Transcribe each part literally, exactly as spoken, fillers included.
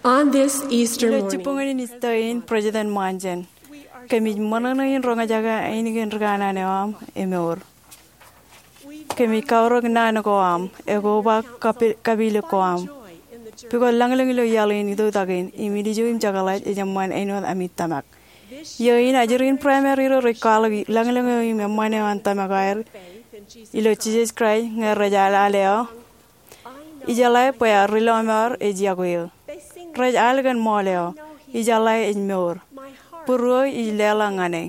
On this Easter morning, jibboñōn in Isteer in, President Monson, kōmij ṃōṇōṇō in roñjake ainikien ri kanaan eo aṃ emour. Kōmij kaorōk naan ko aṃ, ekobak kapi-, kapilōk ko aṃ. Pukot lañlōñ ilo iaḷ in itoktak in, im ilju im jekḷaj ej eṃṃan āinwōt ami tōmak. Iiō in ajri in primary ro rej kwaḷọk lañlōñ eo im eṃṃan eo an tōmak aer ilo Jisōs Kraist ñe rej al al eo. Ijeḷā bwe ear ri lọmọọr ej yokwe eō. Rej al kōn ṃool eo, ijeḷā ej mour. Būruō ij leḷọk ñan e.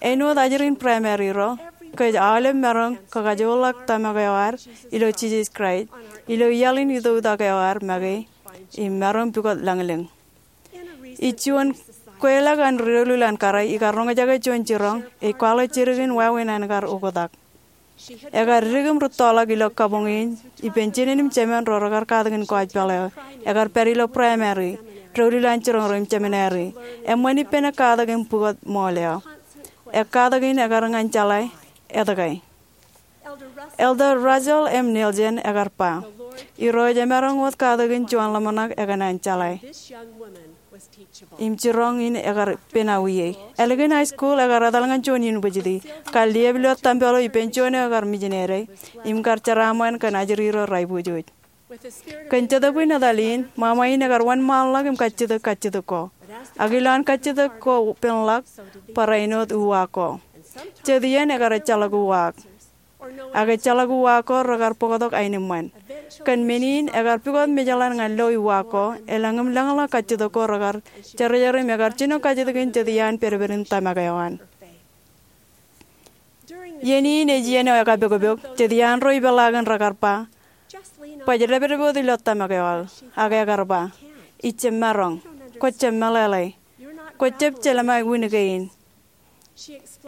Āinwōt ajri in primary ro, kōj aolep maroñ kakajoorḷọk tōmak eo ad ilo Jisōs Kraist ilo iaḷ in itoktak eo ad make im maroñ pukot lañlōñ. Ij juon kweilọk an doulul an kōrā ikar roñjake juon jiroñ ej kwaḷọk jidik in wāween an kar oktak. Ekar dik im rūttoḷọk ilo kabuñ in ippān jinen im jemān ro rekar katakin kōjpaḷ eo. Ekar pād ilo primary, doulul an jiroñ ro im seminary. Eṃṃan ippān ekkatak im pukot ṃool eo. Ekkatak in ekar ñan jeḷā etke. Elder Russell M. Nelson ekar ba, Irooj emaroñ wōt katakin juon ḷōmṇak ekōṇaan jeḷā. Im jiroñ in ekar pen awiei. Ālikin high school ekar etal ñan juon university, kar liep ilo tempel eo ippān juon eo ekar misineri, im kar jeraaṃṃan kōn ajri ro raibwijooj. Kōn Jetōb in etal in, ṃaṃa in ekar wōnṃaanḷọk im kajjitōk kajjitōk ko. Ak ilowaan kajjitōk ko penḷọk, barāinwōt uwaak ko. Jet iien ekar ejjeḷọk uwaak. Ak ejjeḷọk uwaak ko rekar bōktok aenōṃṃan. Kōn men in, ekar pukot mejeḷan ñan lo uwaak ko, elōñ im lōñḷọk kajjitōk ko rekar jerjer im ekar jino kajjitōk in jet iaan pedped in tōmak eo an. Iien in ej iien eo ekapokpok, jet iaan ro ipeḷaakin rekar ba, baj dāpdep wōt ilo tōmak eo aō. Ak ekar ba, ij jab maroñ, kwōj jab meḷeḷe, kwōj jab jelṃae wūn kein.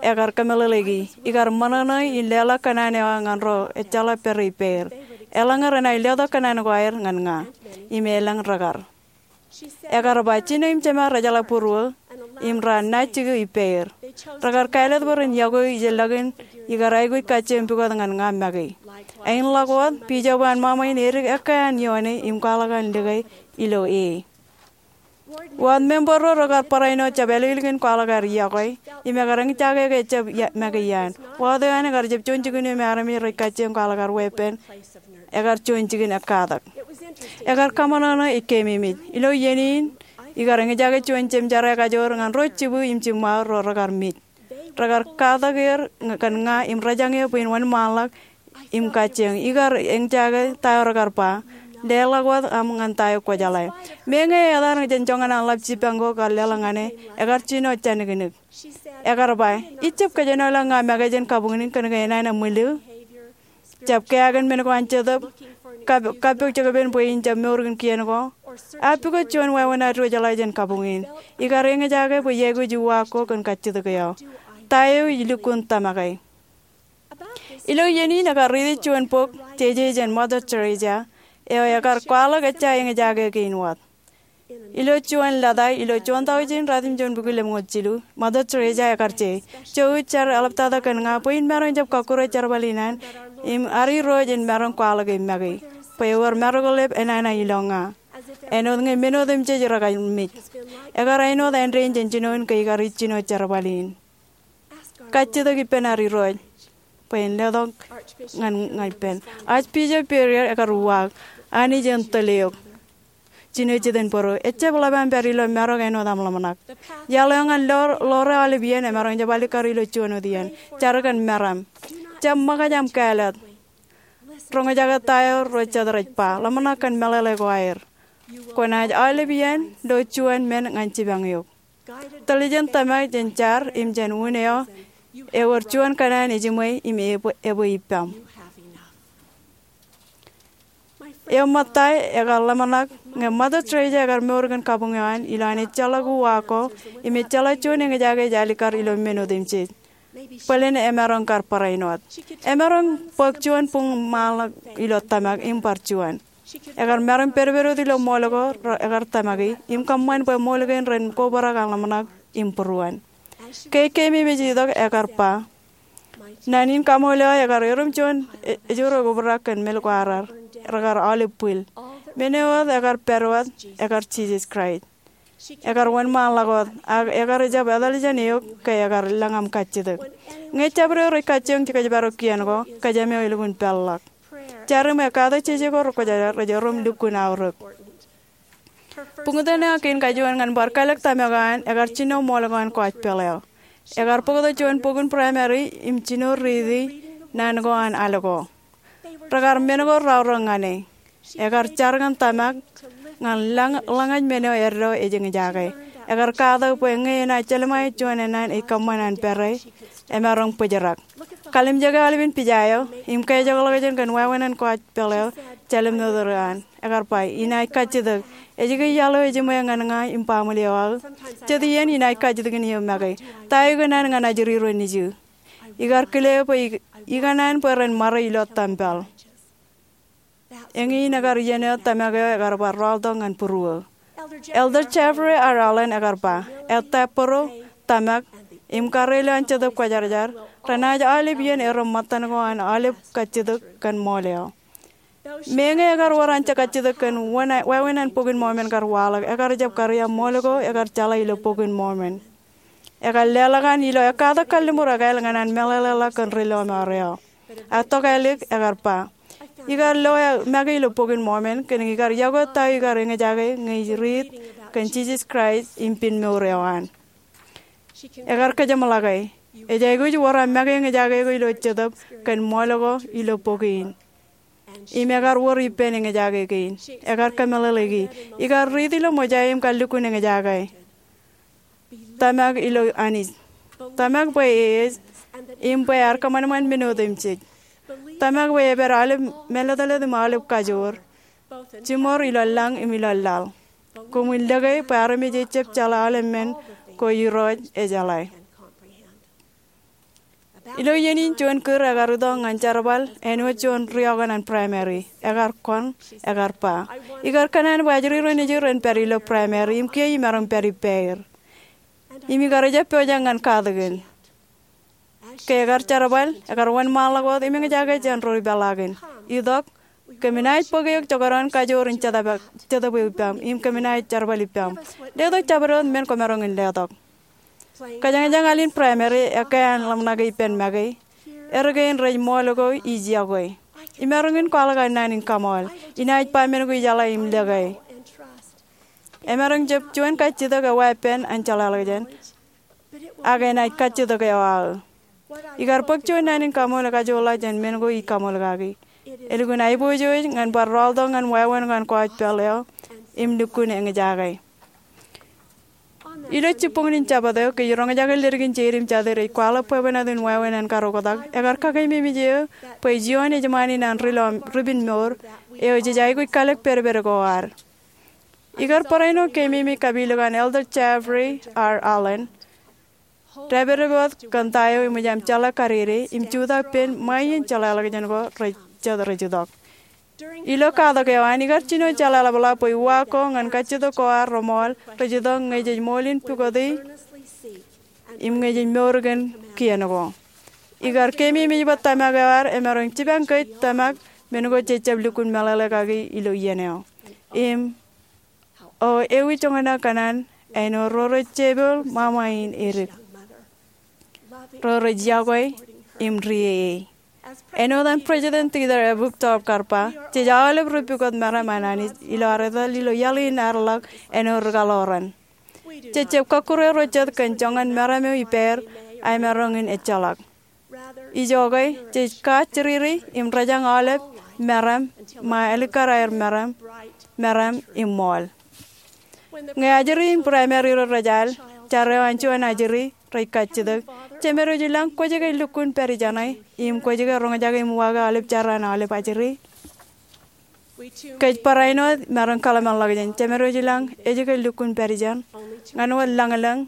Ekar kōmeḷeḷeiki, ikar ṃōṇōṇō in leḷọk kōṇaan eo aō ñan ro ejjeḷọk pād ippāer. Eḷaññe renaaj letok kōṇaan ko aer ñan ña, im elōñ rekar. Ekar ba, jino im jema rejeḷā būruō, im raar naaj jikiō ippāer. Rekar kāālōt bwe ren yokwe ijellọkin ikar aikuj kajjioñ pukot ñan ña make. Āinḷọk wōt, bishop an ṃaṃa in edik ekkā an ioone im kwaḷọk an lōke ilo e. Ward member ro rekar barāinwōt jab āliklik in kwaḷọk aer yokwe, im ekar eñjake ke ejjab ia-, make iaan. Ward eo an ekar jab juon jikin eo me armej rej kajjioñ kwaḷọk aer weeppān, ekar juon jikin ekkatak. Ekar kaṃōṇōṇō ej keememej. Ilo iien in, ikar eñjake juon jemjerā kajoor ñan ro jibū im jiṃṃaō ro rekar mej. Rekar katak er ña-, kōn ña im rejañ eō bwe in wōnṃaanḷọk im kajjioñ. Ikar eñjake ta eo rekar ba, leḷọk wōt aṃ ñan ta eo kwō jeḷā. Meñe etal jān joñan an ḷap jipañ ko kar leḷọk ñan e, ekar jino jāniknik. Ekar ba, ij jab kōjenolọk ña make jān kabuñ in kōnke enana ṃwillu. Jab keakin men ko an Jetōb, kab-, kappok jekpen bwe in jab mour kōn kien ko. Ak pukot juon wāween ad diwōjḷā jān kabuñ in. Ikar eñjake bwe iaikuj uwaak ko kōn kajjitōk eo. Ta eo ij lukkuun tōmake. Ilo iien in ekar riiti juon bok, jeje jān Mother Teresa, eo ekar kwaḷọk ejja eñjake kein wōt. Ilo juon lōta, ilo juon taujin ratimjuon bukwi lemñoul jilu, Mother Teresa ekar je, jouj jar eḷaptata kōn ña bwe in maroñ jab kọkkure jerbal in an, im ad Irooj en maroñ kwaḷọke make, bwe ewōr maroñ lep enana ilo ña. Āinwōt ñe men otemjej rekar mej. Ekar āinwōt āindein jān jinoin ke ikar ij jino jerbal in. Kajjitōk ippān ad Irooj bwe en letok ñan, ñan ippān. Archbishop Perrier ekar uwaak, Anij en tōl eok. Jino jet in bōro, ejjab ḷap aṃ pād ilo marok āinwōt aṃ ḷōmṇak. Iaḷ eo ñan ḷoor, ḷoor eo aolep iien emaroñ jab alikkar ilo juon wōt iien. Jar kōn meram. Jab ṃōkaj aṃ kāālōt. Roñjake ta eo ro jet rej ba, ḷōmṇak kōn meḷeḷe ko aer. Kwōnaaj aolep iien lo juon men ñan jipañ eok. Tōl jān tōmak jān jar im jān un eo, ewōr juon kōṇaan ejiṃwe im epwe, epwe ippaṃ. Eo ṃōtta ekar ḷōmṇak ñe Mother Teresa ekar mour kōn kabuñ eo an ilowaan ejjeḷọk uwaak ko im ejjeḷọk juon eñjake ej alikkar ilo men otemjej. Bōlen emaroñ kar barāinwōt. Emaroñ bōk juon buñ ṃaanḷọk ilo tōmak im bar juon. Ekar maroñ pedped wōt ilo ṃool ko ekar tōmaki, im kōṃṃan bwe ṃool kein ren kobrak an ḷōmṇak im būruon. Ke keememej itok ekar ba, naan in kaṃool eo ekar erom juon e-, ejure kobrak kōn mel ko arar, rekar aolep bwil. Men eo wōt ekar pād wōt ekar Jisōs Kraist. Ekar wōnṃaanḷọk wōt, ak ekar jab etal jān eok ke ekar lōñ aṃ kajjitōk. Ñe jabdewōt rej kajjioñ jekōjparok kien ko, kōjām eo elukkuun peḷḷọk. Jar im ekatak jeje ko rekwōjarjar rej erom lukkuun aorōk. Buñtōn eo kein kajuon ñan bar kalōk tōmak eo an ekar jino ṃool ko an kōjpeḷ eo. Ekar bōktok juon bok in primary im jino riiti naan ko an al ko. Rekar men ko raorōk ñan e. Ekar jar ñan tōmak ñan lōñ-, lōñej men eo eddo ej eñjake. Ekar katak bwe ñe enaaj jelṃae juon ennaan ej kōṃṃan an pere, emaroñ bōjrak. Kalimjeke aolepān pija eo im kajekḷọk jān kōn wāween an kōjpeḷ eo, jelṃae eo an. Ekar ba, inaaj kajjitōk. Ej ke iaḷ eo ejiṃwe ñan ña im baaṃle eo aō? Jet iien inaaj kajjitōk in eō make. Ta eo ikōṇaan ñan ajri ro nejū? Ikar kile bwe ik-, ikōṇaan bwe ren ṃare ilo tempel. Eñin ekar iien eo tōmak eo ekar bar rọọltok ñan būruō. Elder Jeffrey R. Holland ekar ba, ettā bōro, tōmak, im karreoilu an Jetōb Kwōjarjar renaaj aolep iien erom ṃōttan ko an aolep kajjitōk kōn ṃool eo. Meñe ekar wōr anjọ kajjitōk kōn wāween an Bok in Mormon kar waḷọk, ekar jab kariō ṃool ko ekar jeḷā ilo Bok in Mormon. Ekar leḷọk an ilo ekkatak kalliṃur ekāāl ñan an meḷeḷeḷọk kōn ri lọmọọr eo. Ak tokālik ekar ba, ikar lo make ilo Bok in Mormon kōn ikar yokwe ta eo ikar eñjake ñe ij riit kōn Jisōs Kraist im piin mour eo an. Ekar kōjeṃḷọke, ej aikuj wōr aṃ make eñjake ko ilo Jetōb kōn ṃool ko ilo bok in. Im ekar wōr ippān eñjake kein. Ekar kōmeḷeḷeiki, ikar riit ilo ṃōja im kar lukkuun eñjake. Tōmak ilo Anij. Tōmak bwe e ej, im bwe ear kōṃanṃan men otemjej. Tōmak bwe epād aolep mālōtlōt im aolep kajoor, jiṃor ilo lañ im ilo laḷ. Koṃwin lōke bwe armej ejab jeḷā aolep men ko Irooj ejeḷā. Ilo iien in juon kūr ekar itok ñan jerbal āinwōt juon riokan an primary. Ekar kōn, ekar ba, ikar kōṇaan bwe ajri ro nejū ren pād ilo primary im kiiō imaroñ pād ippāer. Im ikar jab pojak ñan katakin. Ke ekar jerbal, ekar wōnṃaanḷọk wōt im eñjake jān ro ipeḷaakin. Itok, kōm naaj bōk eok joñan kajoor in Jetōb, Jetōb eo ippaṃ, im kōm naaj jerbal ippaṃ. Letok jabdewōt men kwōmaroñ in letok. Kōjañjañ al in primary ekkā an ḷōmṇake ippān make. Erkein rej ṃool ko ij yokwe. Imaroñ in kwaḷọk aō naan in kaṃool. Inaaj ba men ko ijeḷā im lōke. Emaroñ jab juon kajjitōk eo wāween an jeḷāḷọkjeṇ. Ak enaaj kajjitōk eo aō. Ikar bōk juon naan in kaṃool ekajoor ḷọk jān men ko ij kaṃool kaki. Elukkuun aiboojoj ñan bar rọọltok ñan wāween ko an kōjpeḷ eo im lukkuun eñjake. Ilo jibboñin Jabōt eo, kōj roñjake leddik in jeid im jatid ej kwaḷọk bwebwenato in wāween an kar oktak, ekar kakeememej eō bwe juon ejṃaan in an ri lọmọọr, ri piin mour eo jej aikuj kalōk pedped ko ad. Ikar barāinwōt keememej kapilōk an Elder Jeffrey R. Holland, dāpdep wōt kōn ta eo eṃōj aṃ jeḷā kadede im jutak pein ṃae iien jeḷāḷọkjeṇ ko rej, jet rej itok. Ilo katak eo an, ikar jino jeḷāḷọkḷọk bwe uwaak ko ñan kajjitōk ko ad reṃool rej itok ñe jej ṃool in pukoti im ñe jej mour kōn kien ko. Ikar keememej bwe tōmak eo ad emaroñ jipañ kōj tōmak men ko jej jab lukkuun meḷeḷe kaki ilo iien eo. Im O ewi joñan eo kōṇaan āinwōt ro rej jepel ṃaṃa in edik, ro rej yokwe im rieiei. Āinwōt an President Dieter A. Uchtdorf kar ba, jej aolep ri pukot meram an Anij ilo ad etal ilo iaḷ in ad ḷọk āinwōt ri kaḷoran. Jej jab kọkkure ro jet kōn joñan meram eo ippāer, ak emaroñ in ejjeḷọk. Ijoke, jej kajjiriri im rejañ aolep meram, ṃae alikkar aer meram, meram im ṃool. Ñe ajri in primary ro rej al, jar eo an juon ajri, rej kajjitōk, Jemedwōj i lañ, kwōj ke lukkuun pād ijeṇe, im kwōj ke roñjake im uwaake aolep jar an aolep ajri? Kōj barāinwōt maroñ kōḷmānḷọkjeṇ, Jemedwōj i lañ, ej ke lukkuun pād ijeṇ? Ñan wōt lañlōñ,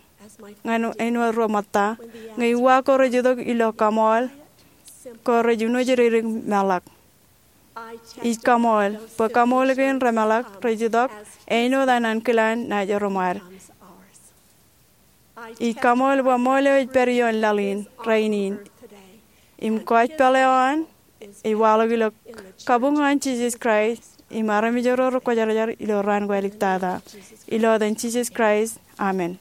ñan āinwōt ro ṃōtta, ñe uwaak ko rej itok ilo kaṃool, ko rej uno jidik meḷọk. Ij kaṃool, bwe kaṃool kein remeḷọk, rej itok, āinwōt an ankilaan naaj erom ad. Ij kaṃool bwe ṃool eo ej pād ioon laḷ in, rainin, im kōjpeḷ eo an, ej waḷọk ilo kabuñ an Jisōs Kraist im armej ro rekwōjarjar ilo raan ko āliktata. Ilo etan Jisōs Kraist, amen.